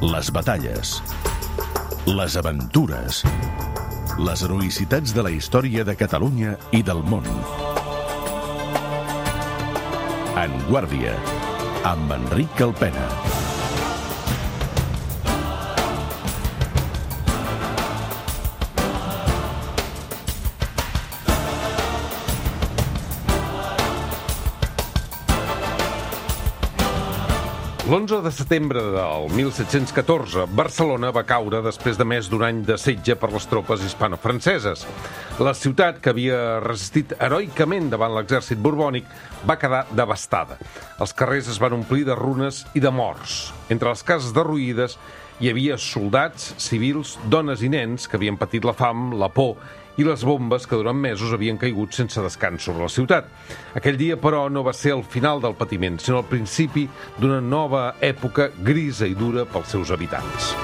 Les batalles, les aventures, les heroïcitats de la història de Catalunya i del món. En Guàrdia, amb Enric Alpena. L'11 de setembre del 1714, Barcelona va caure després de més d'un any de setge per les tropes hispano-franceses. La ciutat, que havia resistit heroicament davant l'exèrcit borbònic, va quedar devastada. Els carrers es van omplir de runes i de morts. Entre les cases derruïdes hi havia soldats, civils, dones i nens que havien patit la fam, la por i les bombes que durant mesos havien caigut sense descans sobre la ciutat. Aquell dia, però, no va ser el final del patiment, sinó el principi d'una nova època grisa i dura pels seus habitants.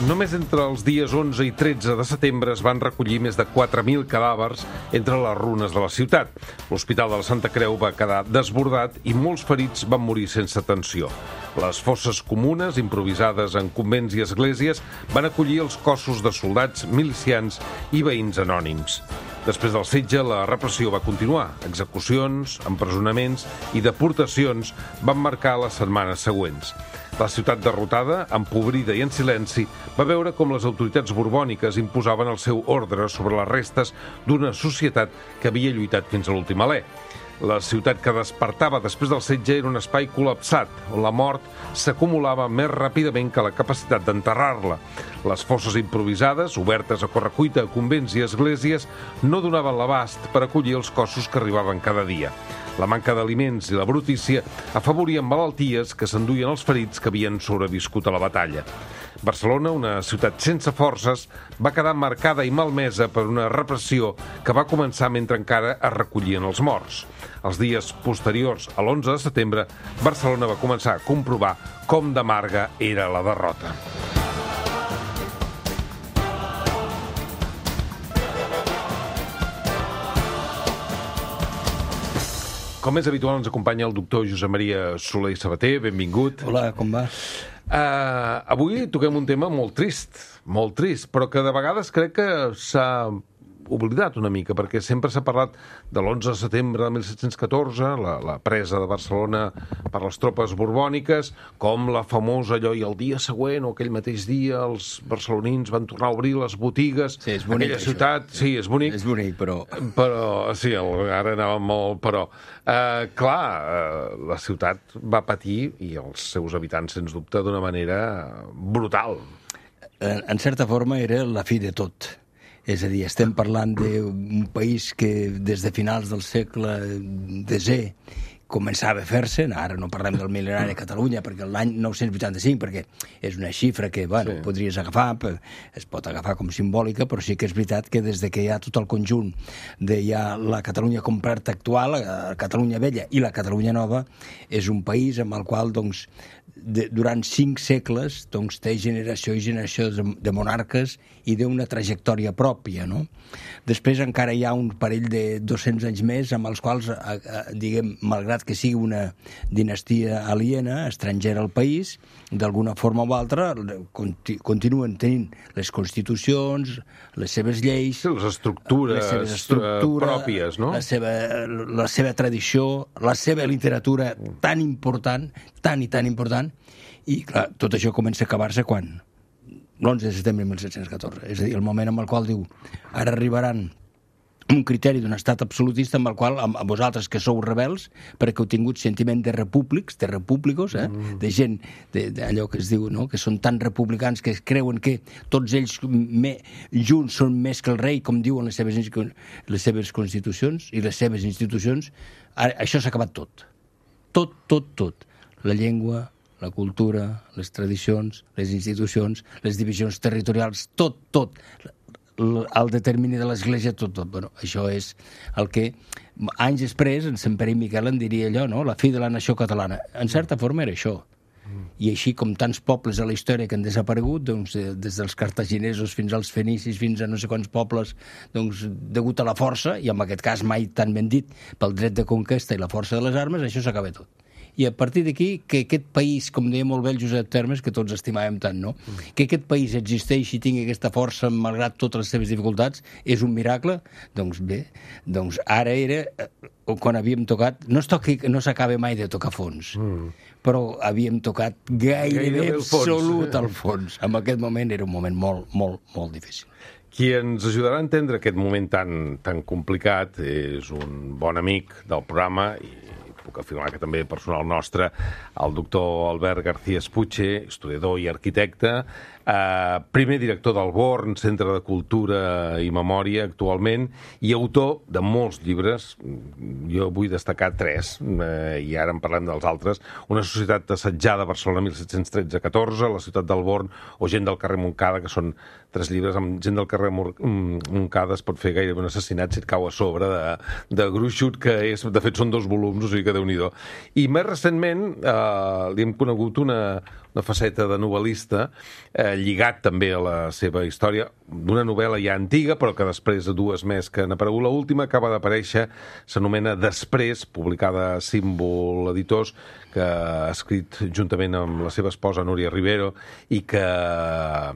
Només entre els dies 11 i 13 de setembre es van recollir més de 4.000 cadàvers entre les runes de la ciutat. L'Hospital de la Santa Creu va quedar desbordat i molts ferits van morir sense atenció. Les fosses comunes, improvisades en convents i esglésies, van acollir els cossos de soldats, milicians i veïns anònims. Després del setge, la repressió va continuar. Execucions, empresonaments i deportacions van marcar les setmanes següents. La ciutat derrotada, empobrida i en silenci, va veure com les autoritats borbòniques imposaven el seu ordre sobre les restes d'una societat que havia lluitat fins a l'últim alè. La ciutat que despertava després del setge era un espai col·lapsat, on la mort s'acumulava més ràpidament que la capacitat d'enterrar-la. Les fosses improvisades, obertes a correcuita a convents i esglésies, no donaven l'abast per acollir els cossos que arribaven cada dia. La manca d'aliments i la brutícia afavorien malalties que s'enduien els ferits que havien sobreviscut a la batalla. Barcelona, una ciutat sense forces, va quedar marcada i malmesa per una repressió que va començar mentre encara es recollien els morts. Els dies posteriors a l'11 de setembre, Barcelona va començar a comprovar com d'amarga era la derrota. Com és habitual, ens acompanya el doctor Josep Maria Soler i Sabater. Benvingut. Hola, com va? Avui toquem un tema molt trist, però que de vegades crec que s'ha oblidat una mica, perquè sempre s'ha parlat de l'11 de setembre de 1714, la presa de Barcelona per les tropes borbòniques, com la famosa allò, i el dia següent o aquell mateix dia els barcelonins van tornar a obrir les botigues. Sí, és bonic, aquella ciutat, sí, és bonic. És bonic, però... Però, sí, ara anava molt, però... la ciutat va patir, i els seus habitants, sens dubte, d'una manera brutal. En certa forma era la fi de tot. És a dir, estem parlant d'un país que des de finals del segle X començava a fer-se, ara no parlem del mil·lenari de Catalunya, perquè l'any 985, perquè és una xifra que, bueno, sí, podries agafar, es pot agafar com simbòlica, però sí que és veritat que des de que hi ha tot el conjunt de ja la Catalunya completa actual, la Catalunya vella i la Catalunya nova, és un país amb el qual, doncs, durant 5 segles, doncs, té generació i generació de monarques i d'una trajectòria pròpia, no? Després encara hi ha un parell de 200 anys més amb els quals, diguem, malgrat que sigui una dinastia aliena, estrangera al país, d'alguna forma o altra continuen tenint les constitucions, les seves lleis, sí, les estructures pròpies, no? La seva tradició, la seva literatura tan important, tan important, i clar, tot això comença a acabar-se quan? L'11 de setembre de 1714. És a dir, el moment en el qual diu, ara arribaran un criteri d'un estat absolutista amb el qual, a vosaltres que sou rebels, perquè heu tingut sentiment de repúblics, de repúblicos, de gent, d'allò que es diu, no?, que són tan republicans que creuen que tots ells junts són més que el rei, com diuen les seves constitucions i les seves institucions. Això s'ha acabat tot. Tot. La llengua, la cultura, les tradicions, les institucions, les divisions territorials, tot. el determini de l'Església, tot. Bueno, això és el que anys després en Sant Pere i Miquel en diria allò, no? La fi de la nació catalana. En certa forma era això. I així com tants pobles a la història que han desaparegut, doncs, des dels cartaginesos fins als fenicis, fins a no sé quants pobles, doncs, degut a la força, i en aquest cas mai tan ben dit, pel dret de conquesta i la força de les armes, això s'acaba tot. I a partir d'aquí, que aquest país, com deia molt bé el Josep Termes, que tots estimàvem tant, no? Que aquest país existeixi i tingui aquesta força, malgrat totes les seves dificultats, és un miracle? Doncs bé, doncs ara era quan havíem tocat... No s'acaba mai de tocar fons, però havíem tocat gairebé absolut al fons. En aquest moment era un moment molt, molt, molt difícil. Qui ens ajudarà a entendre aquest moment tan complicat és un bon amic del programa i puc afirmar que també personal nostre, el doctor Albert García Espuche, historiador i arquitecte, primer director del Born, Centre de Cultura i Memòria actualment, i autor de molts llibres. Jo vull destacar 3, i ara en parlem dels altres. Una societat assetjada a Barcelona 1713-14, La ciutat del Born o Gent del carrer Montcada, que són 3 llibres. Amb Gent del carrer Montcada es pot fer gairebé un assassinat si et cau a sobre de gruixut, que és, de fet són 2 volums, o sigui que Déu-n'hi-do. I més recentment li hem conegut una faceta de novel·lista lligat també a la seva història d'una novel·la ja antiga, però que després de 2 més que han aparegut. L'última acaba d'aparèixer, s'anomena Després, publicada a Símbol Editors, que ha escrit juntament amb la seva esposa Núria Rivero i que ha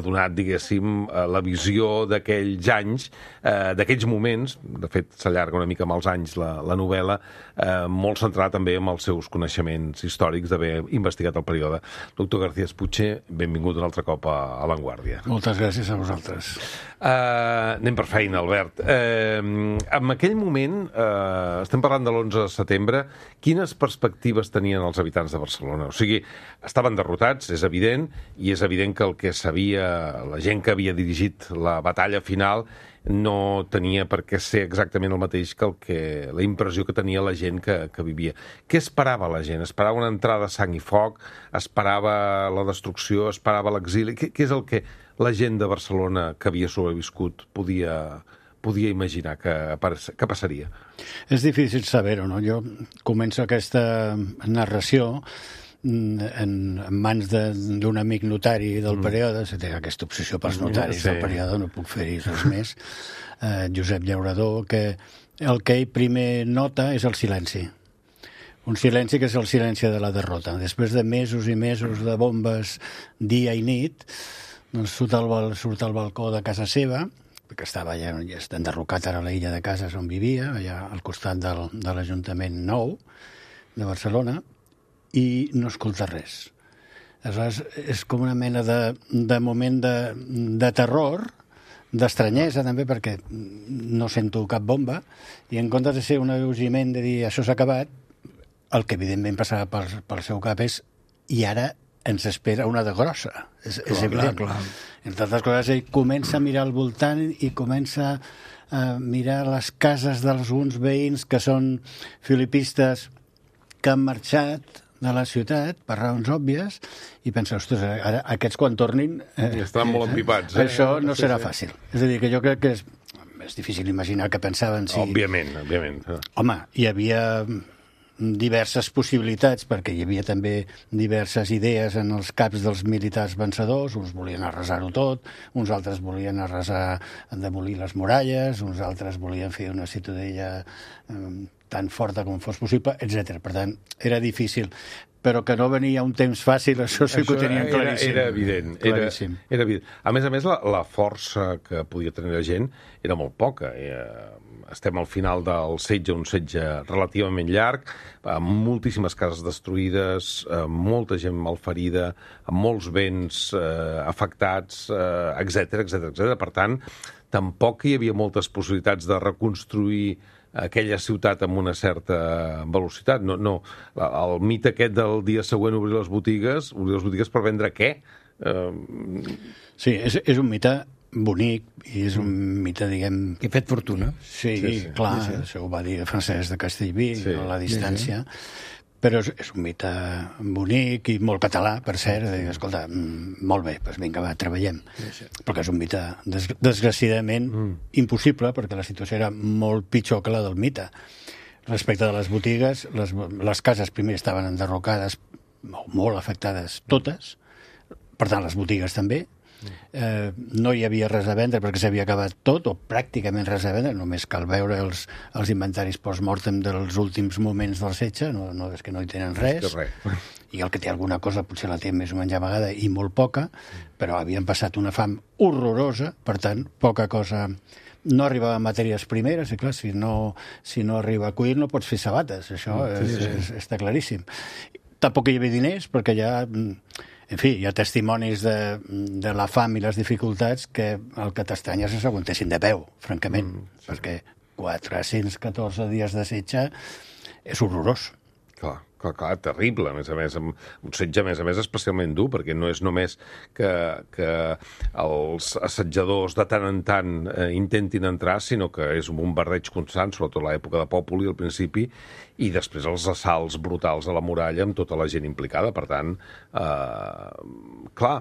donat, diguéssim, la visió d'aquells anys, d'aquells moments. De fet, s'allarga una mica amb els anys la novel·la, molt centrada també en els seus coneixements històrics d'haver investigat el període. Doctor García Espuche, benvingut un altre cop a La Vanguardia. Moltes gràcies a vosaltres. Anem per feina, Albert. En aquell moment, estem parlant de l'11 de setembre, quines perspectives tenien els habitants de Barcelona? O sigui, estaven derrotats, és evident, i és evident que el que sabia la gent que havia dirigit la batalla final no tenia per què ser exactament el mateix que la impressió que tenia la gent que vivia. Què esperava la gent? Esperava una entrada a sang i foc? Esperava la destrucció? Esperava l'exili? Què és el que la gent de Barcelona que havia sobreviscut podia imaginar que passaria? És difícil saber-ho, no? Jo començo aquesta narració en mans d'un amic notari del període, té aquesta obsessió pels notaris del període, no puc fer-hi res més, Josep Llaurador, que el que ell primer nota és el silenci. Un silenci que és el silenci de la derrota. Després de mesos i mesos de bombes dia i nit, doncs surt al balcó de casa seva, que estava ja enderrocat ara a la illa de Cases on vivia, allà al costat de l'Ajuntament Nou de Barcelona, i no escolta res. Aleshores, és com una mena de moment de terror, d'estranyesa també, perquè no sento cap bomba, i en comptes de ser un alleujament de dir això s'ha acabat, el que evidentment passava pel seu cap és i ara ens espera una de grossa. És evident. Clar. Entre altres coses, ell comença a mirar al voltant i comença a mirar les cases d'alguns veïns que són filipistes que han marxat de la ciutat per raons òbvies i pensa, ostres, ara aquests quan tornin... Estaran molt empipats. Això no serà fàcil. És a dir, que jo crec que és difícil imaginar que pensaven si... Òbviament. Home, hi havia diverses possibilitats, perquè hi havia també diverses idees en els caps dels militars vencedors. Uns volien arrasar-ho tot, uns altres volien demolir les muralles, uns altres volien fer una ciutadella tan forta com fos possible, etc. Per tant, era difícil. Però que no venia un temps fàcil, això sí que ho tenien claríssim. Era evident. Era evident. A més, la força que podia tenir la gent era molt poca. Estem al final del setge, un setge relativament llarg, amb moltíssimes cases destruïdes, molta gent malferida, amb molts béns afectats, etc. Per tant, tampoc hi havia moltes possibilitats de reconstruir aquella ciutat amb una certa velocitat. No. El mite aquest del dia següent obrir les botigues per vendre què? Sí, és un mite bonic i és un mite, diguem... Que ha fet fortuna. Sí, clar, això ho va dir Francesc de Castellví, a la distància. però és un mite bonic i molt català, per cert, de dir, escolta, molt bé, doncs vinga, va, treballem. Perquè és un mite, desgraciadament, impossible, perquè la situació era molt pitjor que la del mite. Respecte de les botigues, les cases primer estaven enderrocades, molt afectades totes, per tant, les botigues també. No hi havia res a vendre perquè s'havia acabat tot, o pràcticament res a vendre, només cal veure els inventaris post-mortem dels últims moments del setge, no és que no hi tenen res, i el que té alguna cosa potser la té més o menys amagada i molt poca, però havien passat una fam horrorosa, per tant, poca cosa. No arribava matèries primeres, i clar, si no arriba a cuir no pots fer sabates, això està claríssim. Tampoc hi havia diners, perquè ja... En fi, hi ha testimonis de la fam i les dificultats que el que t'estranya és que s'aguantessin de peu, francament, perquè 414 dies de setge és horrorós. Clar, terrible, a més, un setge, a més, especialment dur, perquè no és només que els assetjadors de tant en tant intentin entrar, sinó que és un bombardeig constant, sobretot a l'època de Pòpuli, al principi, i després els assalts brutals a la muralla amb tota la gent implicada. Per tant, clar,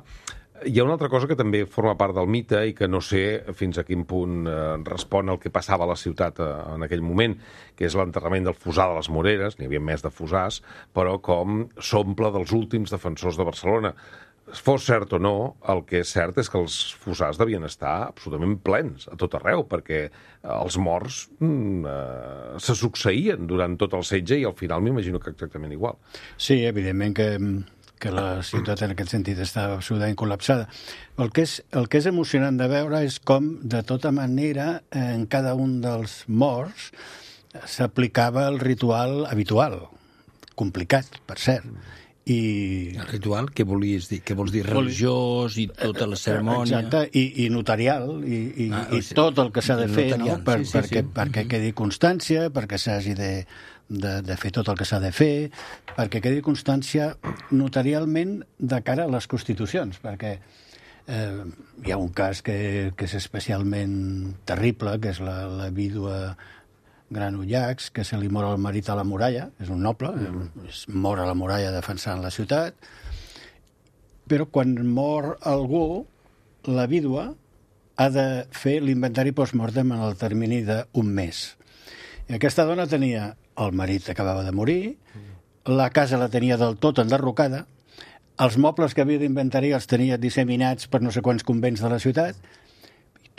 hi ha una altra cosa que també forma part del mite i que no sé fins a quin punt respon al que passava a la ciutat en aquell moment, que és l'enterrament del Fossar de les Moreres, n'hi havia més de fossars, però com s'omple dels últims defensors de Barcelona. Fos cert o no, el que és cert és que els fossars devien estar absolutament plens a tot arreu, perquè els morts se succeïen durant tot el setge i al final m'imagino que exactament igual. Sí, evidentment que la ciutat en aquest sentit estava absolutament col·lapsada. El que és emocionant de veure és com, de tota manera, en cada un dels morts s'aplicava el ritual habitual, complicat, per cert. El ritual, què volies dir? Què vols dir? Religiós i tota la cerimònia? Exacte, i notarial, i tot el que s'ha de fer, no? Perquè quedi constància, perquè s'hagi de fer tot el que s'ha de fer, perquè quedi constància notarialment de cara a les constitucions, perquè hi ha un cas que és especialment terrible, que és la vídua Granollachs, que se li mor el marit a la muralla, és un noble, mor a la muralla defensant la ciutat, però quan mor algú, la vídua ha de fer l'inventari post-mortem en el termini d'un mes. I aquesta dona tenia el marit acabava de morir, la casa la tenia del tot enderrocada, els mobles que havia d'inventari els tenia disseminats per no sé quants convents de la ciutat,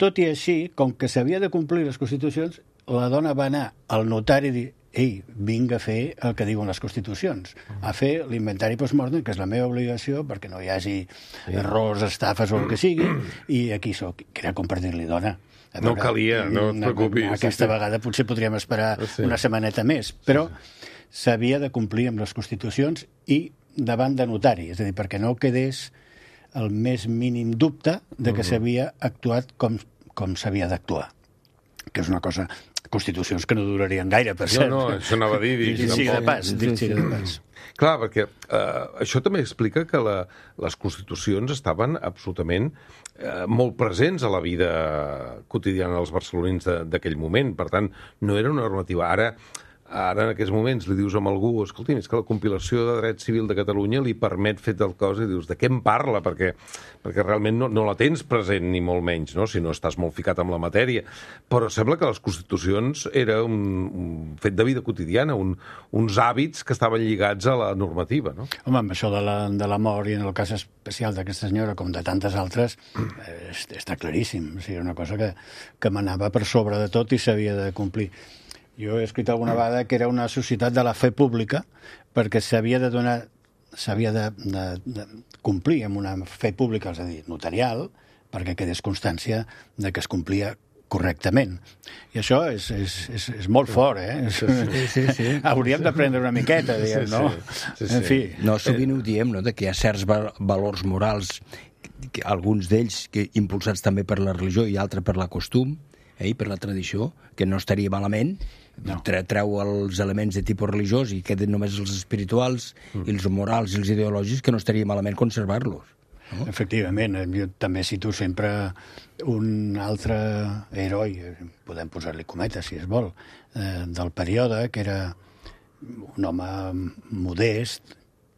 tot i així, com que s'havia de complir les constitucions, la dona va anar al notari i dir ei, vinc a fer el que diuen les constitucions, a fer l'inventari post-mortem, que és la meva obligació, perquè no hi hagi errors, estafes o el que sigui, i aquí soc. Que era com per dir-li, dona, no calia, no et preocupis. Aquesta vegada potser podríem esperar una setmaneta més, però s'havia de complir amb les constitucions i davant de notari, és a dir, perquè no quedés el més mínim dubte de que s'havia actuat com s'havia d'actuar, que és una cosa... Constitucions que no durarien gaire, per cert. No, això anava a dir... Dit de pas. Clar, perquè això també explica que les constitucions estaven absolutament molt presents a la vida quotidiana dels barcelonins d'aquell moment. Per tant, no era una normativa. Ara, en aquests moments, li dius a algú, escolti, és que la compilació de dret civil de Catalunya li permet fer tal cosa, i dius, de què em parla? Perquè realment no la tens present, ni molt menys, no? Si no estàs molt ficat amb la matèria. Però sembla que les constitucions era un fet de vida quotidiana, uns hàbits que estaven lligats a la normativa, no? Home, amb això de la mort, i en el cas especial d'aquesta senyora, com de tantes altres, està claríssim. O sigui, era una cosa que manava per sobre de tot i s'havia de complir. Jo he escrit alguna vegada que era una societat de la fe pública perquè s'havia de complir amb una fe pública, és a dir, notarial, perquè quedés constància de que es complia correctament. I això és molt fort, eh? Sí. Hauríem d'aprendre una miqueta, diguem, no? En fi. No, sovint ho diem, no?, de que hi ha certs valors morals, alguns d'ells impulsats també per la religió i altres per la costum, per la tradició, que no estaria malament, treu els elements de tipus religiós i queden només els espirituals i els morals i els ideològics, que no estaria malament conservar-los. No? Efectivament, jo també cito sempre un altre heroi, podem posar-li cometes si es vol, del període, que era un home modest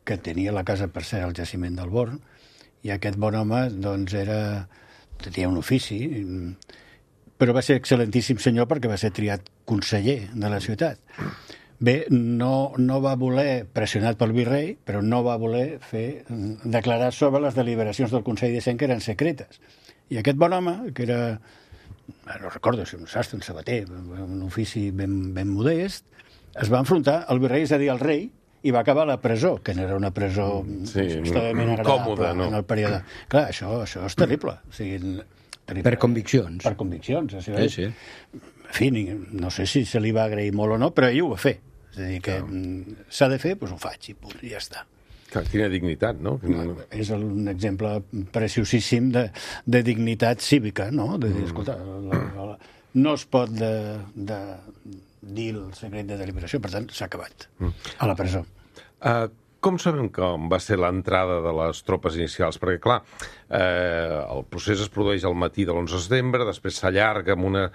que tenia la casa, per ser al jaciment del Born, i aquest bon home doncs tenia un ofici, però va ser excel·lentíssim senyor perquè va ser triat conseller de la ciutat. Bé, no va voler, pressionat pel virrei, però no va voler declarar sobre les deliberacions del Consell de Cent, que eren secretes. I aquest bon home, que era, no recordo si un sastre, un sabater, un ofici ben modest, es va enfrontar al virrei, és a dir, al rei, i va acabar a la presó, que no era una presó extremadament agradable en el període. Clar, això és terrible. O sigui, per conviccions. Per conviccions. Sí. En fi, no sé si se li va agrair molt o no, però ell ho va fer. És a dir, que s'ha de fer, doncs ho faig, i punt, i ja està. Quina dignitat, no? És un exemple preciosíssim de dignitat cívica, no? De dir, escolta, no es pot dir el secret de deliberació, per tant, s'ha acabat a la presó. Com sabem com va ser l'entrada de les tropes inicials? Perquè, clar, el procés es produeix al matí de l'11 de setembre, després s'allarga amb una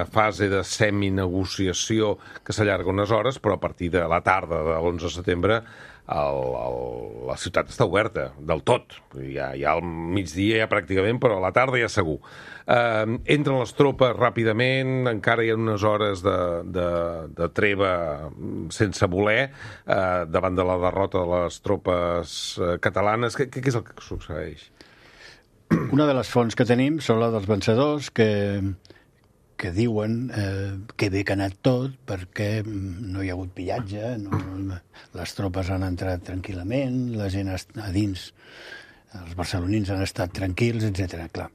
fase de seminegociació que s'allarga unes hores, però a partir de la tarda de l'11 de setembre la ciutat està oberta, del tot. Ja al migdia ja pràcticament, però a la tarda ja segur. Entren les tropes ràpidament, encara hi ha unes hores de treva sense voler, davant de la derrota de les tropes catalanes. Què és el que succeeix? Una de les fonts que tenim són la dels vencedors, que diuen que bé que ha anat tot perquè no hi ha hagut pillatge, les tropes han entrat tranquil·lament, la gent a dins, els barcelonins han estat tranquils, etc. Clar,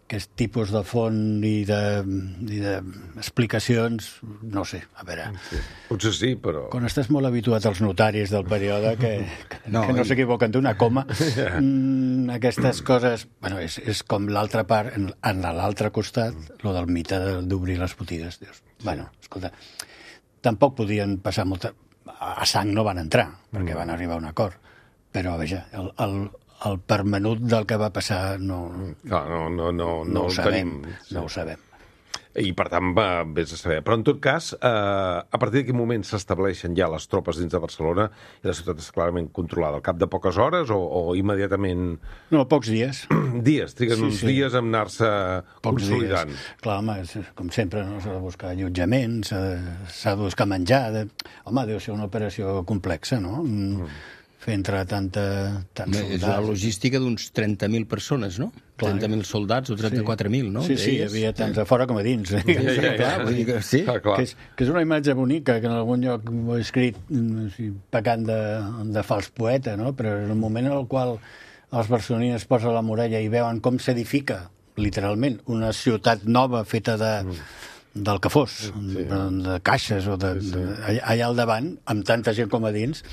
aquest tipus de font i d'explicacions, no sé, a veure... Sí. Potser sí, però... Quan estàs molt habituat als notaris del període, que no s'equivoquen d'una coma, aquestes coses... Bueno, és com l'altra part, en l'altre costat, lo del mite d'obrir les botigues. Dius, bueno, escolta, tampoc podien passar molta... A sang no van entrar, perquè van arribar a un acord. Però, veja, el permenut del que va passar no ho sabem. No ho sabem. I, per tant, vés a saber. Però, en tot cas, a partir d'aquest moment s'estableixen ja les tropes dins de Barcelona i la ciutat és clarament controlada. Al cap de poques hores o immediatament... No, pocs dies. Dies, triguen uns dies a anar-se consolidant. Clar, home, com sempre, no? S'ha de buscar allotjament, s'ha de buscar menjar... Home, deu ser una operació complexa, no? Fer entrar tants soldats. És la logística d'uns 30.000 persones, no? 30.000 soldats o 34.000, no? Sí, hi havia tants a fora com a dins. Sí. Que és una imatge bonica, que en algun lloc ho he escrit pecant de fals poeta, no? Però en el moment en el qual els barcelonins es posen a la muralla i veuen com s'edifica, literalment, una ciutat nova feta del que fos, de caixes o allà al davant, amb tanta gent com a dins,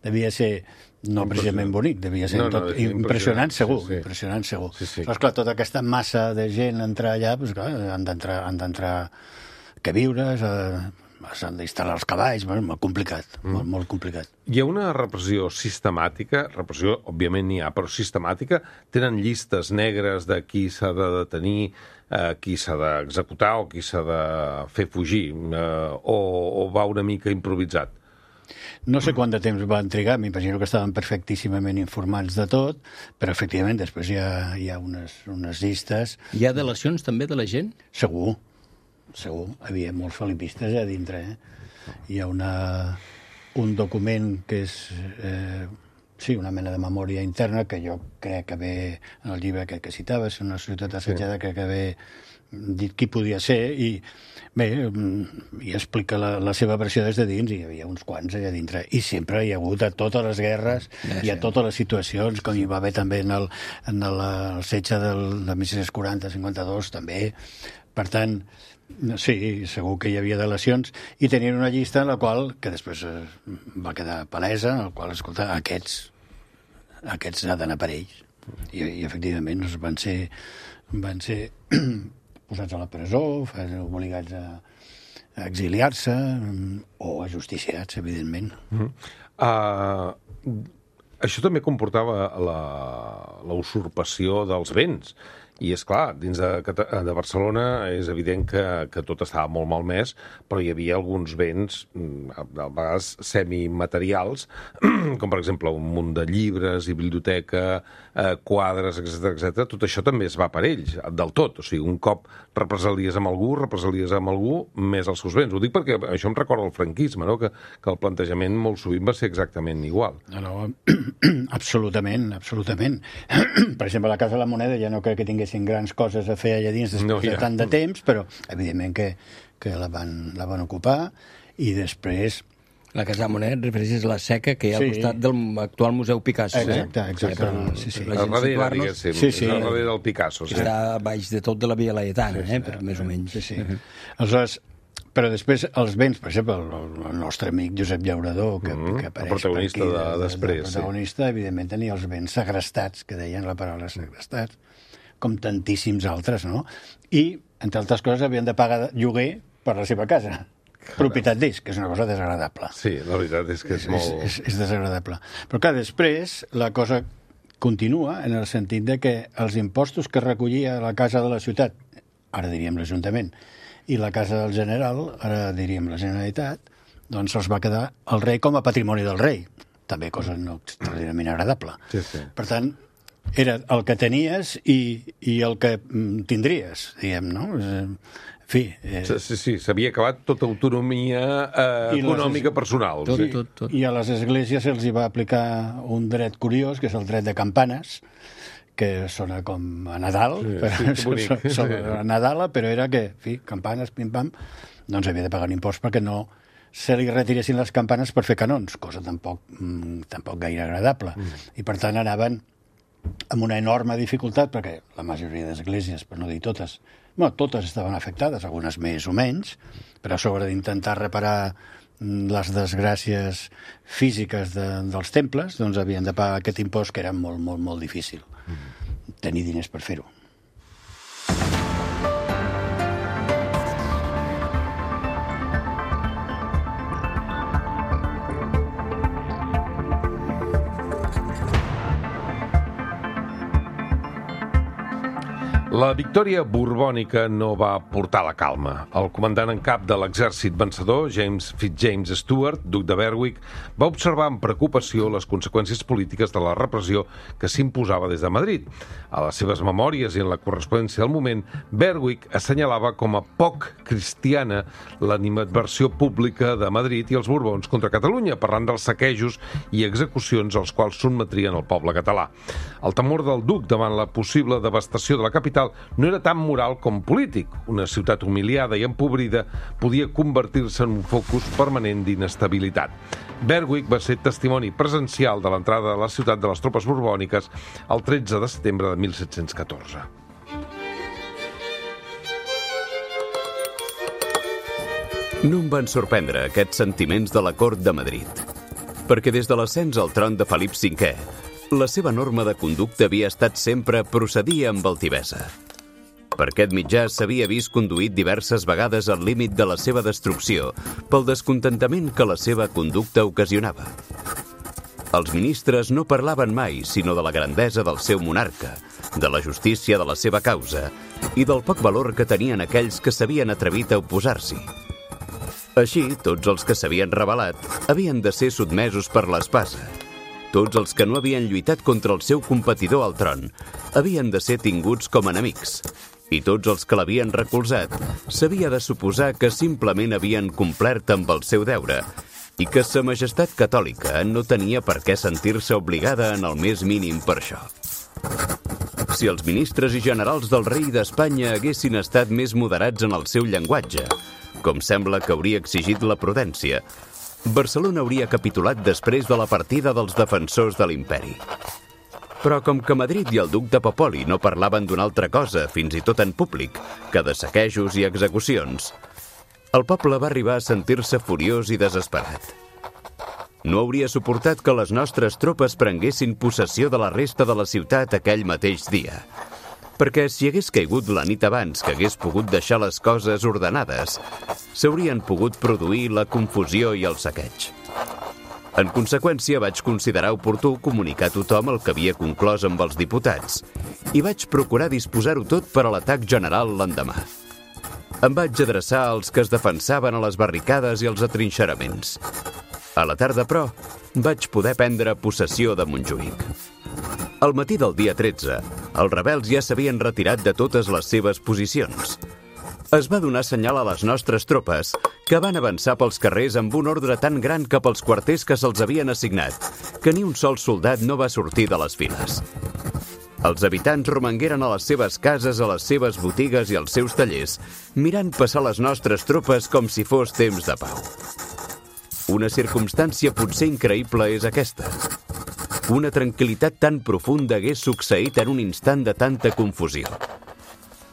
devia ser no precisament bonic, devia ser impressionant segur. Impressionant segur. Però, esclar, tota aquesta massa de gent entrar allà, doncs, clar, han d'entrar queviures, s'han d'instal·lar els cavalls, molt complicat, molt complicat. Hi ha una repressió sistemàtica, repressió, òbviament n'hi ha, però sistemàtica? Tenen llistes negres de qui s'ha de detenir, qui s'ha d'executar o qui s'ha de fer fugir, o va una mica improvisat? No sé quant de temps van trigar, m'imagino que estaven perfectíssimament informats de tot, però efectivament després hi ha unes llistes. Hi ha delacions també de la gent? Segur. Hi havia molts felipistes a dintre. Hi ha un document que és una mena de memòria interna que jo crec que ve en el llibre que citaves, una ciutat assetjada, crec que ve dit qui podia ser, i bé, i explica la seva versió des de dins, i hi havia uns quants allà dintre, i sempre hi ha hagut a totes les guerres i a totes les situacions, com hi va haver també en el setge de 1640-52 també. Per tant, sí, segur que hi havia delacions, i tenien una llista en la qual, que després va quedar palesa, en la qual, escolta, aquests han d'anar per ells, i efectivament van ser posats a la presó, obligats a exiliar-se o ajusticiats, evidentment. Això també comportava la usurpació dels béns I, és clar, dins de Barcelona és evident que tot estava molt malmès, però hi havia alguns béns, a vegades semimaterials, com per exemple un munt de llibres i biblioteca, quadres, etc. Tot això també es va per ells, del tot. O sigui, un cop represalies amb algú, més els seus béns. Ho dic perquè això em recorda el franquisme, no? Que el plantejament molt sovint va ser exactament igual. No, absolutament. Per exemple, la Casa de la Moneda ja no crec que tinguessin grans coses a fer allà dins després de tant de temps, però evidentment que la van ocupar, i després... La Casa de la Moneda, refereixes a la seca que hi ha al costat de l'actual Museu Picasso. Exacte. A darrere, diguéssim. A darrere del Picasso. Que està baix de tot de la Via Laietana, més o menys. Sí. Aleshores, però després els béns, per exemple, el nostre amic Josep Llaurador, que apareix el protagonista per aquí, després. El protagonista, evidentment, tenia els béns segrestats, que deien la paraula segrestats, com tantíssims altres, no? I, entre altres coses, havien de pagar lloguer per la seva casa. Propietat d'ells, que és una cosa desagradable. Sí, la veritat és que és molt... És desagradable. Però clar, després la cosa continua en el sentit de que els impostos que recollia la Casa de la Ciutat, ara diríem l'Ajuntament, i la Casa del General, ara diríem la Generalitat, doncs se'ls va quedar el rei com a patrimoni del rei. També cosa no extraordinàriament agradable. Sí. Per tant, era el que tenies i el que tindries, diguem, no? En fi... Sí, s'havia acabat tota autonomia econòmica personal. Tot. I a les esglésies se'ls va aplicar un dret curiós, que és el dret de campanes, que sona com a Nadal, a Nadala, però era que, en fi, campanes, pim-pam, doncs havia de pagar un impost perquè no se li retiressin les campanes per fer canons, cosa tampoc gaire agradable. I per tant anaven amb una enorme dificultat, perquè la majoria d'esglésies, per no dir totes, totes estaven afectades, algunes més o menys, però a sobre d'intentar reparar les desgràcies físiques dels temples, doncs havien de pagar aquest impost, que era molt, molt, molt difícil tenir diners per fer-ho. La victòria borbònica no va portar la calma. El comandant en cap de l'exèrcit vencedor, James Fitzjames Stuart, duc de Berwick, va observar amb preocupació les conseqüències polítiques de la repressió que s'imposava des de Madrid. A les seves memòries i en la correspondència del moment, Berwick assenyalava com a poc cristiana l'animadversió pública de Madrid i els Borbons contra Catalunya, parlant dels saquejos i execucions als quals sotmetrien el poble català. El temor del duc davant la possible devastació de la capital no era tan moral com polític. Una ciutat humiliada i empobrida podia convertir-se en un focus permanent d'inestabilitat. Berwick va ser testimoni presencial de l'entrada a la ciutat de les tropes borbòniques el 13 de setembre de 1714. No em van sorprendre aquests sentiments de la cort de Madrid, perquè des de l'ascens al tron de Felip V, la seva norma de conducta havia estat sempre procedir amb altivesa. Per aquest mitjà s'havia vist conduït diverses vegades al límit de la seva destrucció pel descontentament que la seva conducta ocasionava. Els ministres no parlaven mai sinó de la grandesa del seu monarca, de la justícia de la seva causa i del poc valor que tenien aquells que s'havien atrevit a oposar-s'hi. Així, tots els que s'havien rebel·lat havien de ser sotmesos per l'espasa. Tots els que no havien lluitat contra el seu competidor al tron havien de ser tinguts com enemics, i tots els que l'havien recolzat s'havia de suposar que simplement havien complert amb el seu deure i que Sa Majestat Catòlica no tenia per què sentir-se obligada en el més mínim per això. Si els ministres i generals del rei d'Espanya haguessin estat més moderats en el seu llenguatge, com sembla que hauria exigit la prudència, Barcelona hauria capitulat després de la partida dels defensors de l'imperi. Però com que Madrid i el duc de Popoli no parlaven d'una altra cosa, fins i tot en públic, que de saquejos i execucions, el poble va arribar a sentir-se furiós i desesperat. No hauria suportat que les nostres tropes prenguessin possessió de la resta de la ciutat aquell mateix dia, perquè si hagués caigut la nit abans que hagués pogut deixar les coses ordenades, s'haurien pogut produir la confusió i el saqueig. En conseqüència, vaig considerar oportú comunicar a tothom el que havia conclòs amb els diputats i vaig procurar disposar-ho tot per a l'atac general l'endemà. Em vaig adreçar als que es defensaven a les barricades i als atrinxeraments. A la tarda, però, vaig poder prendre possessió de Montjuïc. Al matí del dia 13, els rebels ja s'havien retirat de totes les seves posicions. Es va donar senyal a les nostres tropes, que van avançar pels carrers amb un ordre tan gran cap als quarters que se'ls havien assignat, que ni un sol soldat no va sortir de les files. Els habitants romangueren a les seves cases, a les seves botigues i als seus tallers, mirant passar les nostres tropes com si fos temps de pau. Una circumstància potser increïble és aquesta. Una tranquil·litat tan profunda hagués succeït en un instant de tanta confusió.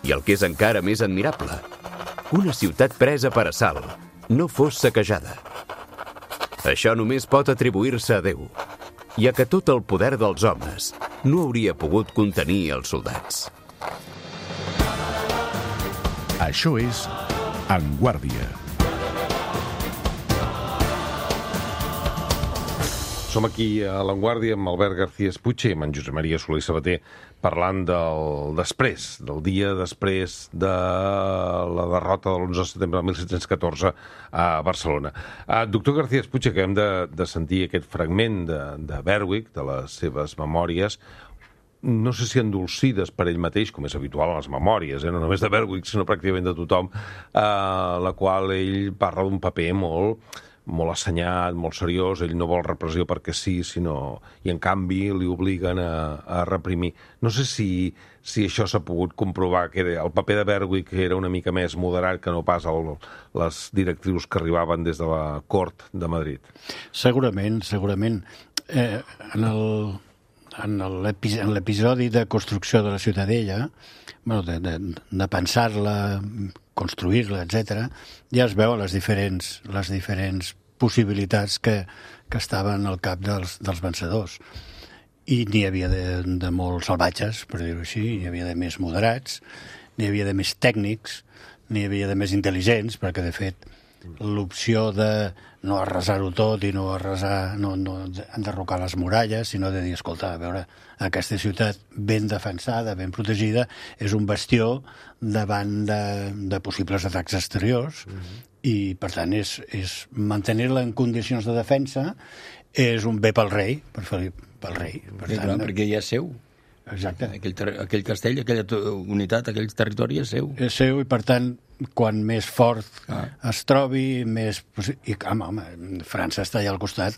I el que és encara més admirable, una ciutat presa per assalt no fos saquejada. Això només pot atribuir-se a Déu, ja que tot el poder dels homes no hauria pogut contenir els soldats. Això és En Guàrdia. Som aquí a l'Avantguàrdia amb Albert García Espuche i amb en Josep Maria Soler i Sabater parlant del dia després de la derrota de l'11 de setembre de 1714 a Barcelona. Doctor García Espuche, acabem de sentir aquest fragment de Berwick, de les seves memòries, no sé si endolcides per ell mateix, com és habitual a les memòries, no només de Berwick, sinó pràcticament de tothom, la qual ell parla d'un paper molt assenyat, molt seriós, ell no vol repressió perquè sí, i en canvi li obliguen a reprimir. No sé si això s'ha pogut comprovar, que el paper de Berwick era una mica més moderat que no pas les directrius que arribaven des de la cort de Madrid. Segurament. En l'episodi de construcció de la Ciutadella, de pensar-la, construir-la, etc., ja es veuen les diferents possibilitats que estaven al cap dels vencedors. I n'hi havia de molt salvatges, per dir-ho així, n'hi havia de més moderats, n'hi havia de més tècnics, n'hi havia de més intel·ligents, perquè, de fet, l'opció de no arrasar-ho tot i no enderrocar les muralles, sinó de dir, escolta, a veure, aquesta ciutat ben defensada, ben protegida, és un bastió davant de possibles atacs exteriors i, per tant, és mantenir-la en condicions de defensa és un bé pel rei, pel rei. Per tant, perquè ja és seu. Exacte. Aquell castell, aquella unitat, aquell territori és seu. És seu i, per tant, quan més fort es trobi, més... I, home, França està allà al costat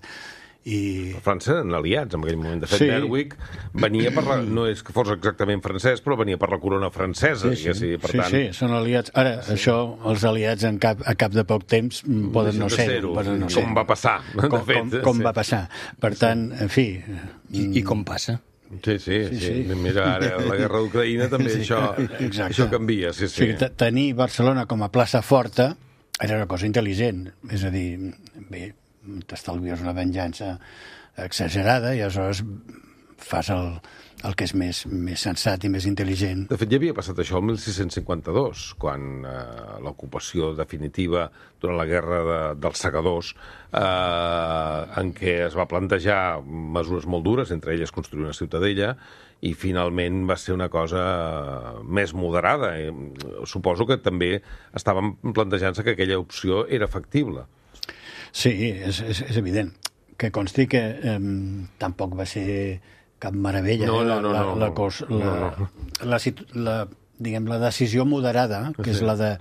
i... França eren aliats en aquell moment. De fet, sí. Berwick venia per no és que fos exactament francès, però venia per la corona francesa. Sí, són aliats. Ara, això, els aliats a cap de poc temps poden no ser-ho. Com va passar, de fet. Com va passar. Per tant, en fi... I com passa? Sí. Mira, ara la guerra d'Ucraïna també això canvia. Sí. O sigui, tenir Barcelona com a plaça forta era una cosa intel·ligent. És a dir, bé, t'estalvies una venjança exagerada i aleshores fas el que és més sensat i més intel·ligent. De fet, ja havia passat això el 1652, quan l'ocupació definitiva durant la guerra dels segadors, en què es va plantejar mesures molt dures, entre elles construir una ciutadella, i finalment va ser una cosa més moderada. Suposo que també estaven plantejant-se que aquella opció era factible. Sí, és evident. Que consti que tampoc va ser cap meravella. La decisió moderada, que és la de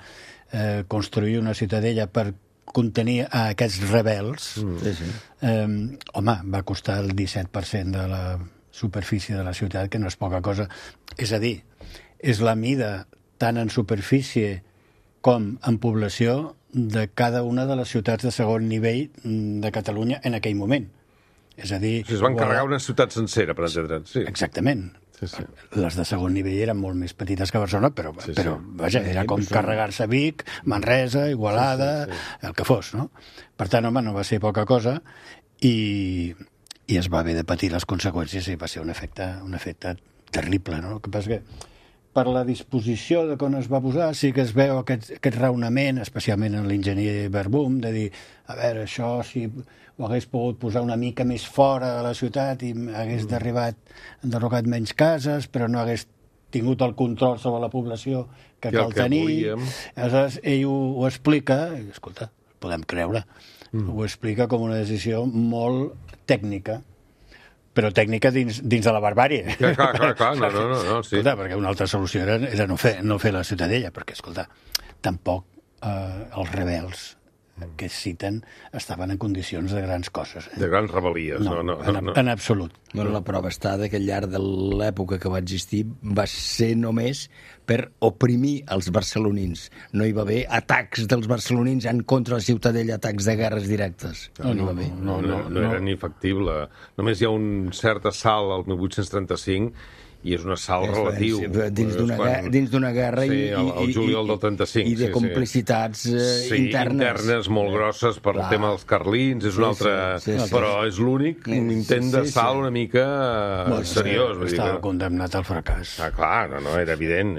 construir una ciutadella per contenir a aquests rebels, home, va costar el 17% de la superfície de la ciutat, que no és poca cosa. És a dir, és la mida tant en superfície com en població de cada una de les ciutats de segon nivell de Catalunya en aquell moment. És a dir... Es van carregar una ciutat sencera, per entendre'ns. Sí. Exactament. Sí. Les de segon nivell eren molt més petites que Barcelona, però vaja, era com carregar-se Vic, Manresa, Igualada, el que fos, no? Per tant, home, no va ser poca cosa i es va haver de patir les conseqüències i va ser un efecte terrible, no? El que passa que per la disposició de quan es va posar, sí que es veu aquest raonament, especialment en l'enginyer Verbum, de dir, a veure, això si ho hagués pogut posar una mica més fora de la ciutat i hagués enderrocat menys cases, però no hagués tingut el control sobre la població que cal tenir. Aleshores, ell ho explica, i, escolta, podem creure, ho explica com una decisió molt tècnica, però tècnica dins de la barbàrie. Clar, no, sí. Escolta, perquè una altra solució era no fer la ciutadella, perquè, escolta, tampoc els rebels que es citen estaven en condicions de grans coses. De grans rebel·lies, no. En absolut. Bueno, la prova està que al llarg de l'època que va existir va ser només per oprimir els barcelonins. No hi va haver atacs dels barcelonins en contra la ciutadella, atacs de guerres directes. No era ni factible. Només hi ha un cert assalt al 1835 i és un assalt relatiu. Dins d'una guerra el juliol del 35. I de complicitats internes. Internes molt grosses per el tema dels carlins, és un altre... Però és l'únic intent d'assalt una mica seriós. Estava condemnat al fracàs. Clar, no, era evident.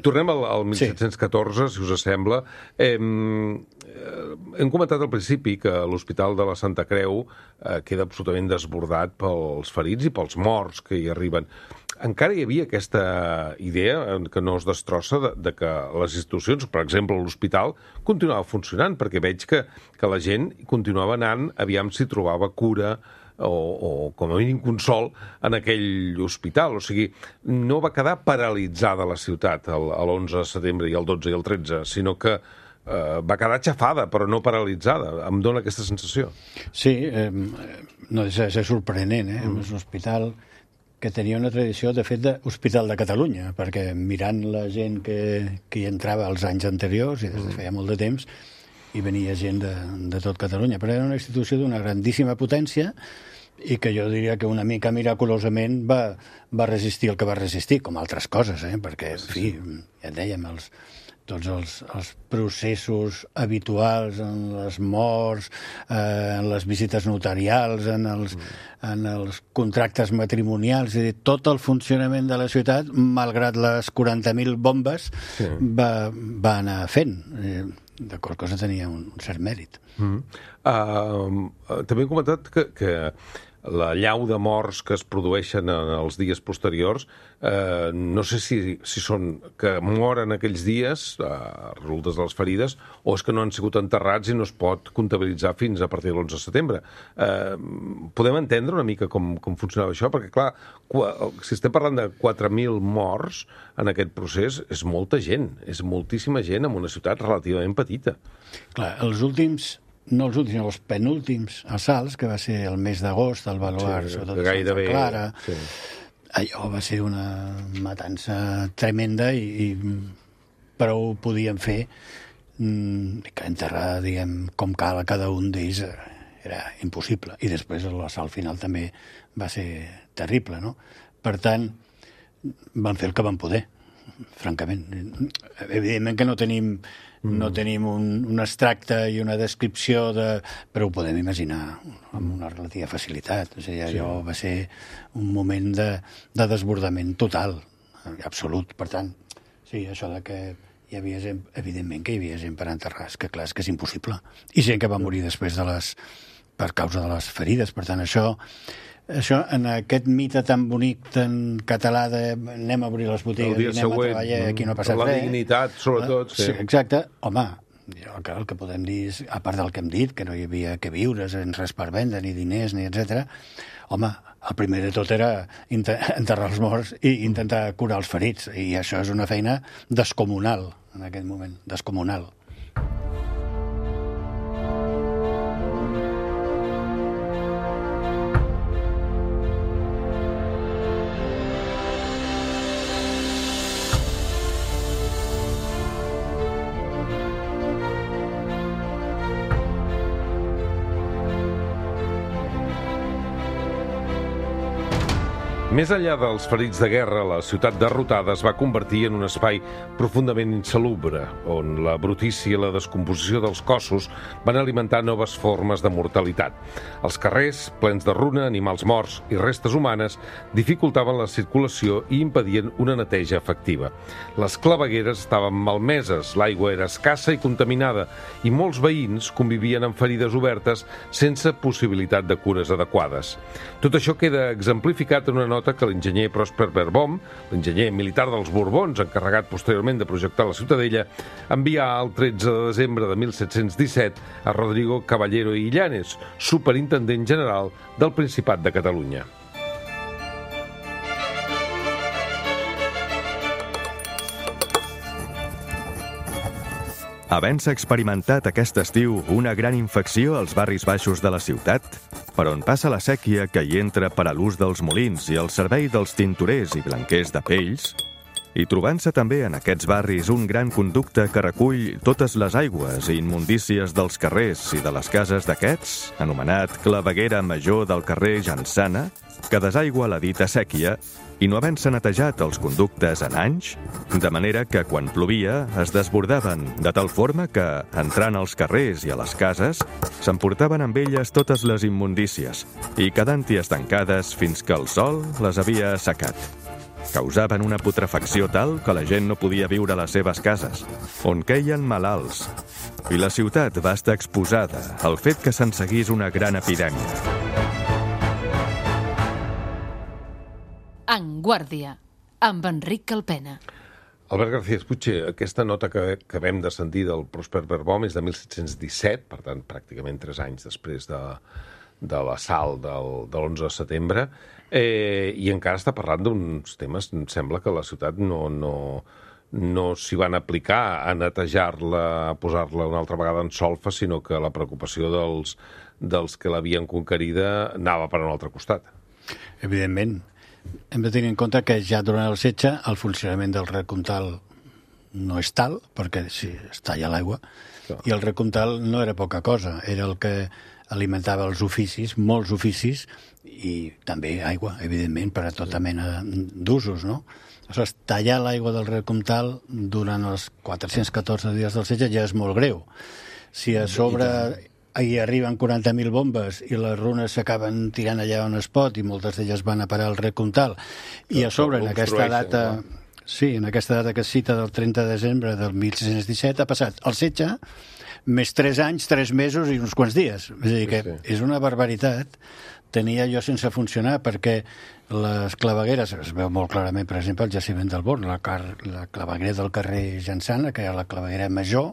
Tornem al 1714, si us sembla. Hem comentat al principi que l'Hospital de la Santa Creu queda absolutament desbordat pels ferits i pels morts que hi arriben. Encara hi havia aquesta idea, que no es destrossa, de que les institucions, per exemple l'hospital, continuava funcionant, perquè veig que la gent continuava anant, aviam si trobava cura o com a mínim consol en aquell hospital. O sigui, no va quedar paralitzada la ciutat l'11 de setembre i el 12 i el 13, sinó que va quedar aixafada, però no paralitzada. Em dóna aquesta sensació. Sí, no deixa de ser sorprenent, És un hospital que tenia una tradició, de fet, d'Hospital de Catalunya, perquè mirant la gent que hi entrava els anys anteriors, i des de feia molt de temps, hi venia gent de tot Catalunya, però era una institució d'una grandíssima potència i que jo diria que una mica miraculosament va resistir el que va resistir, com altres coses, perquè, en fi, ja et dèiem, tots els processos habituals en les morts, en les visites notarials, en els contractes matrimonials, és a dir, tot el funcionament de la ciutat, malgrat les 40.000 bombes, va anar fent. D'acord, cosa tenia un cert mèrit. També he comentat que la llau de morts que es produeixen en els dies posteriors, no sé si són que moren aquells dies, resultes de les ferides, o és que no han sigut enterrats i no es pot comptabilitzar fins a partir de l'11 de setembre. Podem entendre una mica com funcionava això? Perquè, clar, si estem parlant de 4.000 morts en aquest procés, és molta gent, és moltíssima gent en una ciutat relativament petita. Clar, no els últims, sinó els penúltims assalts, que va ser el mes d'agost, al Baluard, sobretot a Santa Clara. Allò va ser una matança tremenda i prou podien fer que enterrar, diguem, com cal a cada un d'ells era impossible. I després l'assalt final també va ser terrible, no? Per tant, van fer el que van poder, francament. Evidentment que no tenim un extracte i una descripció però ho podem imaginar amb una relativa facilitat. O sigui, allò va ser un moment de desbordament total, absolut. Per tant, sí, això de que hi havia gent, evidentment que hi havia gent per enterrar, que clar, és que és impossible. I gent que va morir després per causa de les ferides. Per tant, això en aquest mite tan bonic, tan català de anem a obrir les botigues i anem a treballar, aquí no ha passat res. La dignitat, sobretot. Sí, exacte. Home, el que podem dir és, a part del que hem dit, que no hi havia que viure, sense res per vendre, ni diners, ni etc. Home, el primer de tot era enterrar els morts i intentar curar els ferits. I això és una feina descomunal, en aquest moment, descomunal. Més enllà dels ferits de guerra, la ciutat derrotada es va convertir en un espai profundament insalubre, on la brutícia i la descomposició dels cossos van alimentar noves formes de mortalitat. Els carrers, plens de runa, animals morts i restes humanes, dificultaven la circulació i impedien una neteja efectiva. Les clavegueres estaven malmeses, l'aigua era escassa i contaminada, i molts veïns convivien amb ferides obertes sense possibilitat de cures adequades. Tot això queda exemplificat en una nota que l'enginyer Prosper Verboom, l'enginyer militar dels Borbons, encarregat posteriorment de projectar la Ciutadella, envià el 13 de desembre de 1717 a Rodrigo Caballero i Illanes, superintendent general del Principat de Catalunya. Havent-se experimentat aquest estiu una gran infecció als barris baixos de la ciutat, per on passa la sèquia que hi entra per a l'ús dels molins i el servei dels tintorers i blanquers de pells, i trobant-se també en aquests barris un gran conducte que recull totes les aigües i immundícies dels carrers i de les cases d'aquests, anomenat claveguera major del carrer Jansana, que desaigua la dita sèquia, i no havent-se netejat els conductes en anys, de manera que quan plovia es desbordaven, de tal forma que, entrant als carrers i a les cases, s'emportaven amb elles totes les immundícies i quedant-hi estancades fins que el sol les havia assecat. Causaven una putrefacció tal que la gent no podia viure a les seves cases, on queien malalts, i la ciutat va estar exposada al fet que se'n seguís una gran epidèmia. En Guàrdia, amb Enric Calpena. Albert García Espuche, aquesta nota que acabem de sentir del Prosper Verboom és de 1717, per tant, pràcticament 3 anys després de l'assalt de l'11 de setembre, i encara està parlant d'uns temes, em sembla que la ciutat no s'hi van aplicar a netejar-la, a posar-la una altra vegada en solfa, sinó que la preocupació dels que l'havien conquerida anava per un altre costat. Evidentment. Hem de tenir en compte que ja durant el setge el funcionament del recomtal no és tal, perquè si es talla l'aigua, i el recomtal no era poca cosa, era el que alimentava els oficis, molts oficis, i també aigua, evidentment, per a tota mena d'usos, no? Aleshores, tallar l'aigua del recomtal durant els 414 dies del setge ja és molt greu. Si a sobre hi arriben 40.000 bombes i les runes s'acaben tirant allà on es pot i moltes d'elles van a parar al recomtal, i a sobre en aquesta data... Sí, en aquesta data que es cita del 30 de desembre del 1617 ha passat el setge més 3 anys, 3 mesos i uns quants dies. És a dir, que és una barbaritat tenir allò sense funcionar, perquè les clavegueres, es veu molt clarament, per exemple, el jaciment del Born, la claveguera del carrer Jansana, que era la claveguera major,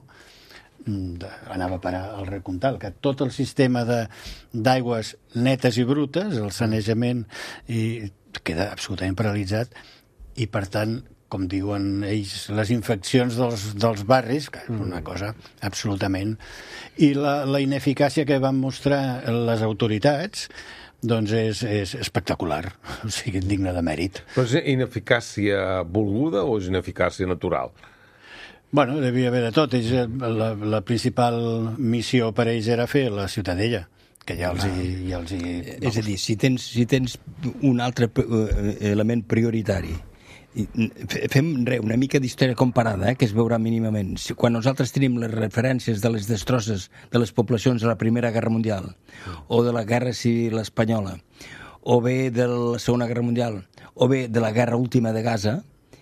anava a parar al recomtal, que tot el sistema d'aigües netes i brutes, el sanejament, i queda absolutament paralitzat, i per tant, com diuen ells, les infeccions dels barris, que és una cosa absolutament... I la ineficàcia que van mostrar les autoritats doncs és espectacular, o sigui, digne de mèrit. Però és ineficàcia volguda o és ineficàcia natural? Bueno, devia haver de tot. La principal missió per ells era fer la Ciutadella, que ja els hi... És a dir, si tens un altre element prioritari, fem una mica d'història comparada, que es veurà mínimament. Quan nosaltres tenim les referències de les destrosses de les poblacions de la Primera Guerra Mundial, o de la Guerra Civil Espanyola, o bé de la Segona Guerra Mundial, o bé de la Guerra Última de Gaza,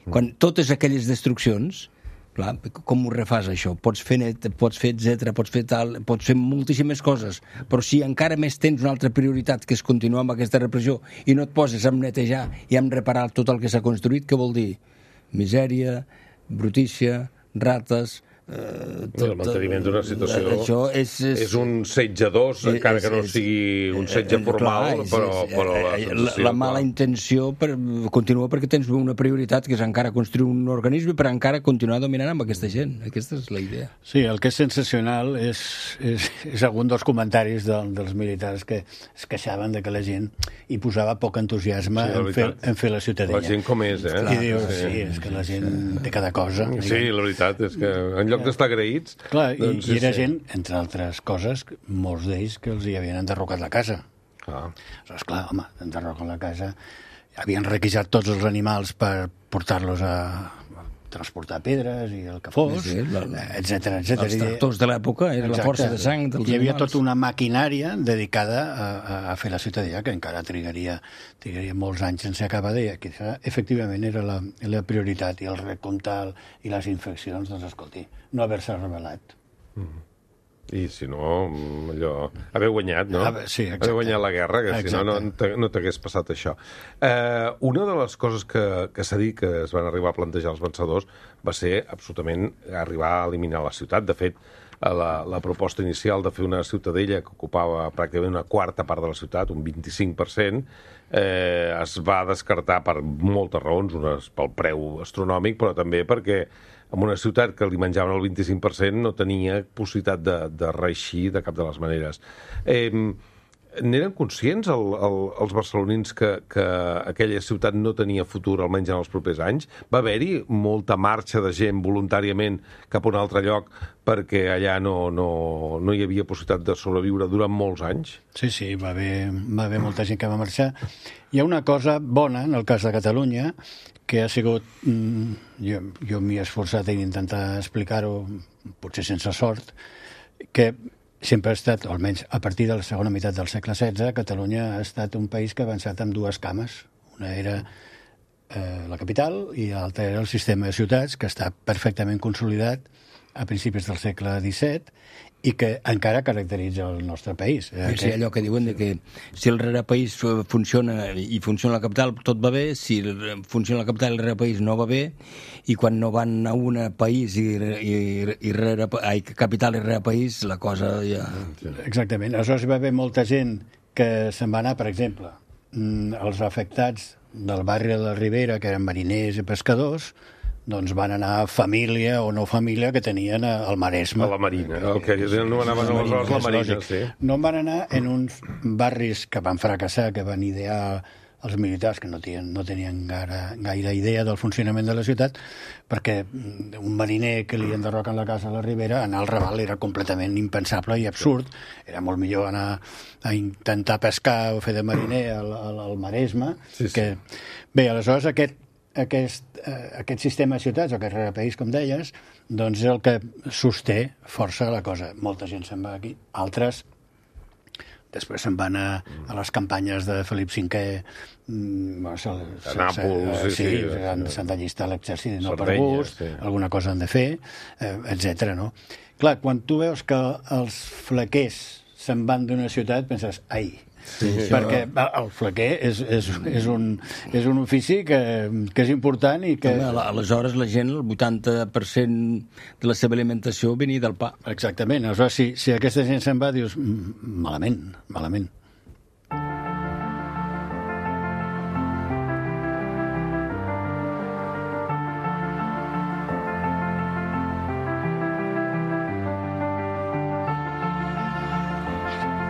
quan totes aquelles destruccions... Clar, com ho refàs, això? Pots fer net, pots fer etc, pots fer tal, pots fer moltíssimes coses, però si encara més tens una altra prioritat, que és continuar amb aquesta repressió, i no et poses a netejar i a reparar tot el que s'ha construït, què vol dir? Misèria, brutícia, rates... El manteniment d'una situació és un setge d'os, encara que no sigui un setge formal, però la mala intenció continua perquè tens una prioritat, que és encara construir un organisme per encara continuar dominant amb aquesta gent. Aquesta és la idea. Sí, el que és sensacional és algun dels comentaris dels militars que es queixaven de que la gent hi posava poc entusiasme en fer la Ciutadella. La gent com és, I dius, sí, és que la gent té cada cosa. Sí, la veritat és que en lloc d'estar agraïts... Clar, i era gent, entre altres coses, molts d'ells que els hi havien enderrocat la casa. Aleshores, clar, home, enderroquen la casa havien requisat tots els animals per portar-los a transportar pedres i el que fos, etcètera. Els tractors de l'època era la força de sang dels animals. Hi havia tota una maquinària dedicada a fer la ciutadella, que encara trigaria molts anys sense acabar de... Efectivament era la prioritat, i el recomptar i les infeccions, doncs escolti, no haver-se rebel·lat. I si no, allò... Haver guanyat, no? Sí, exacte. Haver guanyat la guerra, que si no t'hagués passat això. Una de les coses que s'ha dit que es van arribar a plantejar els vencedors va ser absolutament arribar a eliminar la ciutat. De fet, la proposta inicial de fer una ciutadella que ocupava pràcticament una quarta part de la ciutat, un 25%, es va descartar per moltes raons, unes pel preu astronòmic, però també perquè en una ciutat que li menjaven el 25% no tenia possibilitat de reeixir de cap de les maneres. N'eren conscients els barcelonins que aquella ciutat no tenia futur, almenys en els propers anys? Va haver-hi molta marxa de gent voluntàriament cap a un altre lloc perquè allà no hi havia possibilitat de sobreviure durant molts anys? Sí, va haver molta gent que va marxar. Hi ha una cosa bona en el cas de Catalunya, que ha sigut... Jo m'hi he esforçat en intentar explicar-ho, potser sense sort, que sempre ha estat, o almenys a partir de la segona meitat del segle XVI, Catalunya ha estat un país que ha avançat amb dues cames. Una era la capital i l'altra era el sistema de ciutats, que està perfectament consolidat a principis del segle XVII i que encara caracteritza el nostre país. Sí, allò que diuen que si el rerepaís funciona i funciona la capital, tot va bé, si funciona la capital i el rerepaís no va bé, i quan no van a un país capital i rerepaís, la cosa ja... Exactament. Aleshores hi va haver molta gent que se'n va anar, per exemple, els afectats del barri de la Ribera, que eren mariners i pescadors, doncs van anar família o no família que tenien al Maresme. A la Marina, el que no anaven aleshores a la Marina, sí. No van anar en uns barris que van fracassar, que van idear els militars, que no tenien gaire idea del funcionament de la ciutat, perquè un mariner que li enderroquen la casa a la Ribera, anar al Raval era completament impensable i absurd. Era molt millor anar a intentar pescar o fer de mariner al Maresme. Que... Bé, aleshores aquest sistema de ciutats, o aquest rerepaís, com deies, doncs és el que sosté força la cosa. Molta gent se'n va aquí, altres després se'n van a les campanyes de Felip V, a Nàpols, s'han d'allistar a l'exèrcit, no per gust, alguna cosa han de fer, etc. No? Clar, quan tu veus que els flequers se'n van d'una ciutat, penses, ai, perquè el flequer és un ofici que és important i que... Aleshores la gent, el 80% de la seva alimentació venia del pa. Exactament. Aleshores, si aquesta gent se'n va, dius, malament.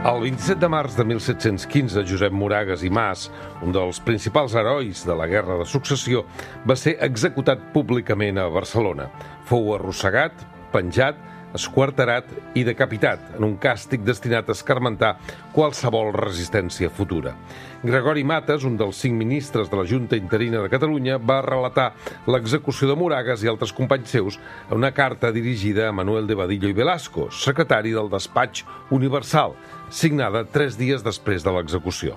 El 27 de març de 1715, Josep Moragas i Mas, un dels principals herois de la Guerra de Successió, va ser executat públicament a Barcelona. Fou arrossegat, penjat, esquarterat i decapitat en un càstig destinat a escarmentar qualsevol resistència futura. Gregori Mates, un dels 5 ministres de la Junta Interina de Catalunya, va relatar l'execució de Moragas i altres companys seus en una carta dirigida a Manuel de Badillo i Velasco, secretari del Despatx Universal, signada 3 dies després de l'execució.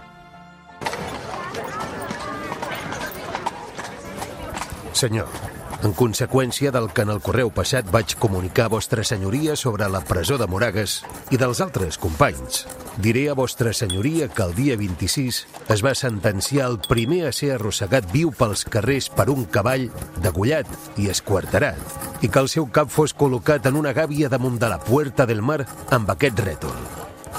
Senyor, en conseqüència del que en el correu passat vaig comunicar a vostra senyoria sobre la presó de Moragas i dels altres companys, diré a vostra senyoria que el dia 26 es va sentenciar el primer a ser arrossegat viu pels carrers per un cavall degollat i esquarterat, i que el seu cap fos col·locat en una gàbia damunt de la Puerta del Mar amb aquest rètol: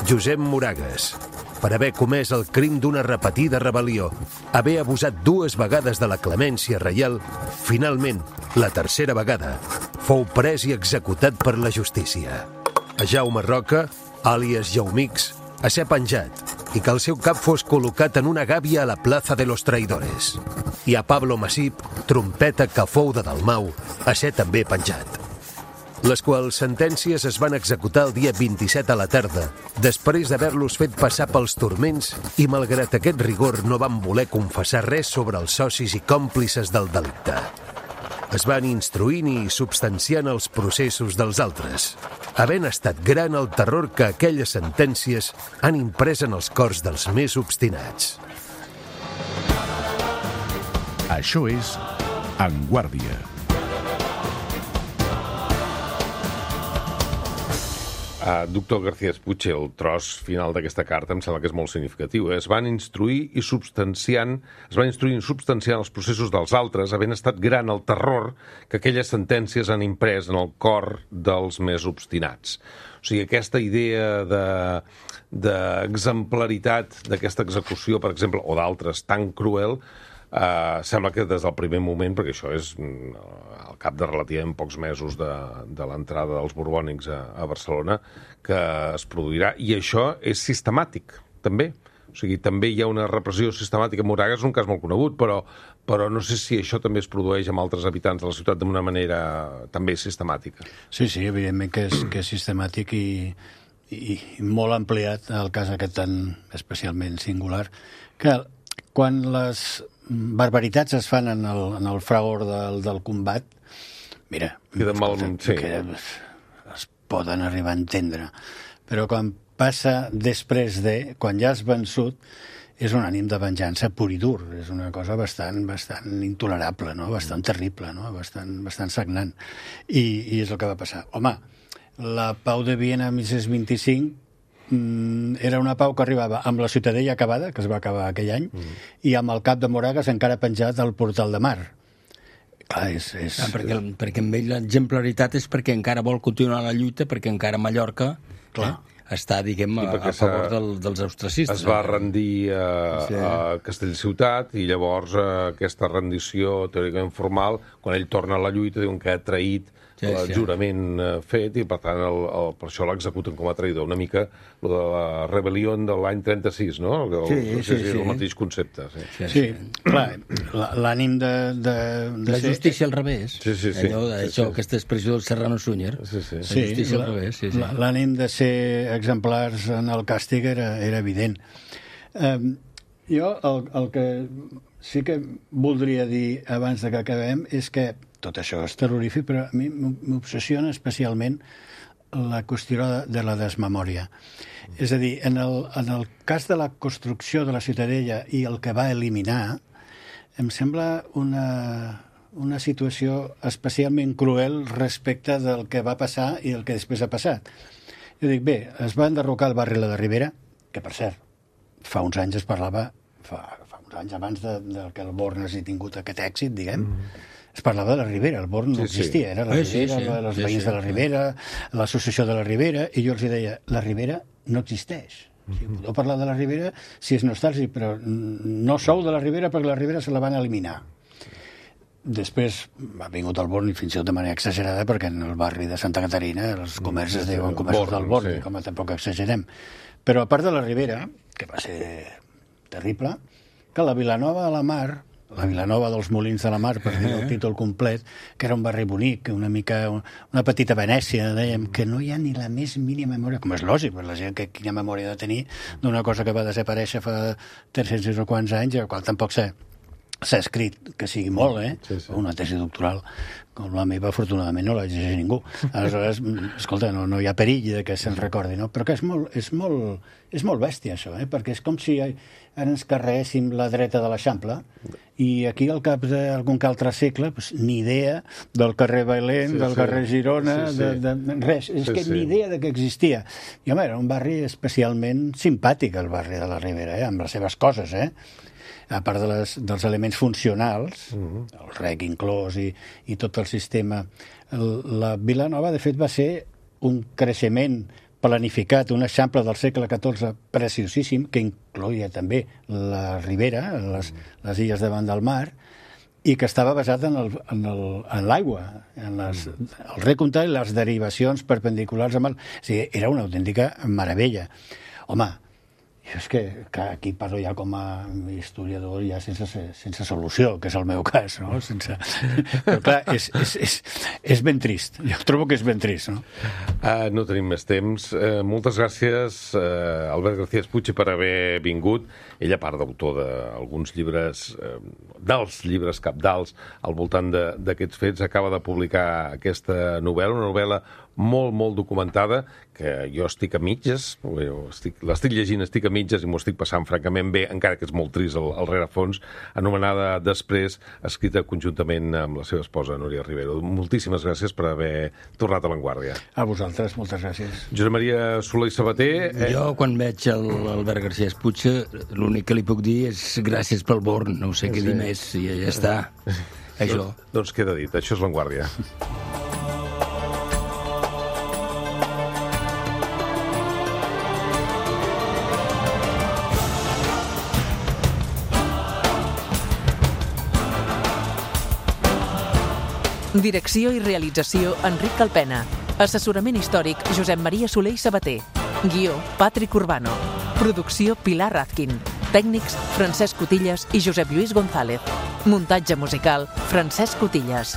Josep Moragas, per haver comès el crim d'una repetida rebel·lió, haver abusat 2 vegades de la clemència reial, finalment, la 3a vegada, fou pres i executat per la justícia. A Jaume Roca, àlies Jaumix, a ser penjat i que el seu cap fos col·locat en una gàbia a la plaça de los Traidores. I a Pablo Masip, trompeta que fou de Dalmau, a ser també penjat. les quals sentències es van executar el dia 27 a la tarda, després d'haver-los fet passar pels turments i, malgrat aquest rigor, no van voler confessar res sobre els socis i còmplices del delicte. Es van instruint i substanciant els processos dels altres, havent estat gran el terror que aquelles sentències han imprès en els cors dels més obstinats. Això és En Guàrdia. Doctor García Puig, el tros final d'aquesta carta em sembla que és molt significatiu. Es van instruir i substanciant els processos dels altres, havent estat gran el terror que aquelles sentències han imprès en el cor dels més obstinats. O sigui, aquesta idea d'exemplaritat d'aquesta execució, per exemple, o d'altres tan cruel, sembla que des del primer moment, perquè això és al cap de relativament pocs mesos de l'entrada dels borbònics a Barcelona, que es produirà. I això és sistemàtic, també. O sigui, també hi ha una repressió sistemàtica. Moragas és un cas molt conegut, però no sé si això també es produeix amb altres habitants de la ciutat d'una manera també sistemàtica. Sí, evidentment que és sistemàtic i molt ampliat el cas aquest tan especialment singular, que quan les barbaritats es fan en el fragor del combat, mira, que es poden arribar a entendre, però quan passa després quan ja has vençut, és un ànim de venjança pur i dur, és una cosa bastant intolerable, no? Bastant terrible, no? Bastant sagnant, i és el que va passar. Home, la pau de Viena 1625 era una pau que arribava amb la Ciutadella acabada, que es va acabar aquell any, i amb el cap de Moragas encara penjat al portal de mar. Clar, perquè amb ell l'exemplaritat és perquè encara vol continuar la lluita, perquè encara Mallorca està, diguem, a favor dels austracistes. Es va rendir a Castellciutat i llavors aquesta rendició teòricament formal, quan ell torna a la lluita, diuen que ha traït el jurament fet i per tant per això l'executen com a traïdor. Una mica el de la rebel·lió de l'any 36, no? El mateix concepte. Sí, clar, l'ànim de la justícia al revés. Aquesta expressió del Serrano Súñer. La justícia al revés. L'ànim de ser exemplars en el càstig era evident. Jo el que sí que voldria dir abans de que acabem és que tot això és terrorífic, però a mi m'obsessiona especialment la qüestió de la desmemòria. És a dir, en el cas de la construcció de la Ciutadella i el que va eliminar, em sembla una situació especialment cruel respecte del que va passar i el que després ha passat. Jo dic, bé, es va enderrocar el barri La de Ribera, que per cert, fa uns anys es parlava, fa uns anys abans que el Born hagi tingut aquest èxit, diguem, es parlava de la Ribera, el Born no existia, era la Ribera, els veïns de la Ribera, l'associació de la Ribera, i jo els deia, la Ribera no existeix. Podeu parlar de la Ribera si és nostàlgic, però no sou de la Ribera perquè la Ribera se la van eliminar. Després ha vingut el Born, i fins i tot de manera exagerada, perquè en el barri de Santa Caterina els comerços es diuen comerços del Born, com tampoc exagerem. Però a part de la Ribera, que va ser terrible, que la Vilanova de la Mar, la Vilanova dels Molins de la Mar, per dir el títol complet, que era un barri bonic, una petita Venècia, dèiem, que no hi ha ni la més mínima memòria, com és lògic, per la gent que quina memòria ha de tenir d'una cosa que va desaparèixer fa 300 i no quants anys, i al qual tampoc s'ha escrit, que sigui molt, una tesi doctoral, com la meva, afortunadament no la llegeix ningú. Aleshores, escolta, no hi ha perill que se'n recordi, no? Però que és molt bèstia, això, perquè és com si ara ens carreguéssim la dreta de l'Eixample i aquí al cap d'algun que altre segle ni idea del carrer Bailén, del carrer Girona, res. És que ni idea de que existia. I, home, era un barri especialment simpàtic, el barri de la Ribera, amb les seves coses, a part dels elements funcionals, el rec inclòs i tot el sistema. La Vilanova, de fet, va ser un creixement planificat, un eixample del segle XIV preciosíssim, que incloïa també la Ribera, les illes davant del mar, i que estava basat en l'aigua, en el recompte i les derivacions perpendiculars amb el... O sigui, era una autèntica meravella. Home, Jo és que aquí parlo ja com a historiador ja sense solució, que és el meu cas, no? Però clar, és ben trist. Jo trobo que és ben trist, no? No tenim més temps. Moltes gràcies, Albert García Puig, per haver vingut. Ell, a part d'autor d'alguns llibres, dels llibres cabdals al voltant d'aquests fets, acaba de publicar aquesta novel·la, una novel·la molt, molt documentada, que jo estic a mitges, l'estic llegint, estic a mitges i m'ho estic passant francament bé, encara que és molt trist al rerefons, anomenada Després, escrita conjuntament amb la seva esposa, Núria Rivero. Moltíssimes gràcies per haver tornat a l'Avantguàrdia. A vosaltres, moltes gràcies. Josep Maria Soler i Sabater... Jo, quan veig l'Albert García Puig, l'únic que li puc dir és gràcies pel born, no sé què dir més, i ja està. Això. Doncs queda dit, això és l'Avantguàrdia. Direcció i realització, Enric Calpena. Assessorament històric, Josep Maria Soler i Sabater. Guió, Patrick Urbano. Producció, Pilar Razkin. Tècnics, Francesc Cotillas i Josep Lluís González. Muntatge musical, Francesc Cotillas.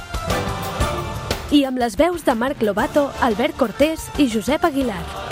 I amb les veus de Marc Lobato, Albert Cortés i Josep Aguilar.